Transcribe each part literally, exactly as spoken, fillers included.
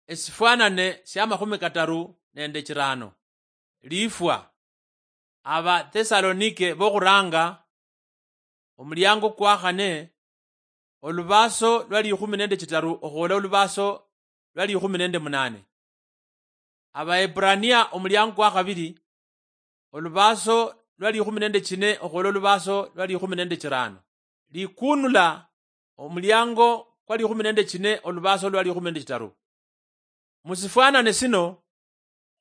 Esifwanane sia makhumi kataru nende chirano. Lifwa. Abathesalonike bokhuranga, omuliango kwa khane, olubaso lwa likhumi nende chitaru okhwola olubaso lwa likhumi nende munane. Abaebrania omuliango kwa khabiri, olubaso lwa likhumi nende chine okhwola olubaso lwa likhumi nende chirano. Likunula omuliango kwa likhumi nende chine olubaso lwa likhumi nende chitaru. Musifwanane sino,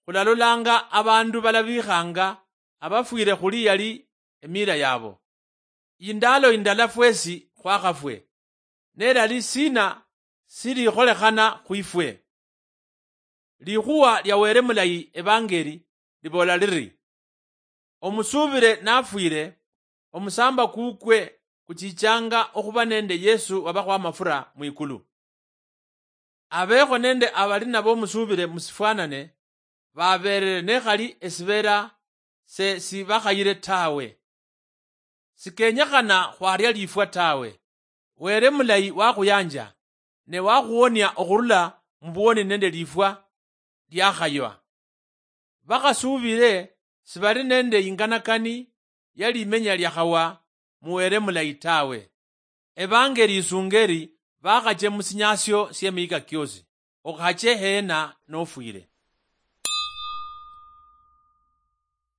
khulalolanga abandu balabikhanga abafwire khuli yali emira yabo. Indalo indala fwesi khwakhafwe, nelali sina silikholekhana khwifwe? Likhuwa lia Wele Mulayi, evangeli, libola liri, omusuubile nafwile, omusamba kukwe kuchichanga okhuba nende Yesu wabakhwa amafura mwikulu. Abekho nende abali nabo omusuubile musifwanane, babeerere nekhali esibeera se sibakhayire tawe. Sikenyekhana khwaria lifwa tawe. Wele mulayi wakhuyanja, ne wakhuwonia okhurula mubuwoni nende lifwa liakhaywa. Bakhasuubile sibali nende inganakani ya limenya liakhawa mu Wele mulayi tawe. Evangeli isunga eri bakhache musinyasio siemihika kiosi, okhache hena nofwile.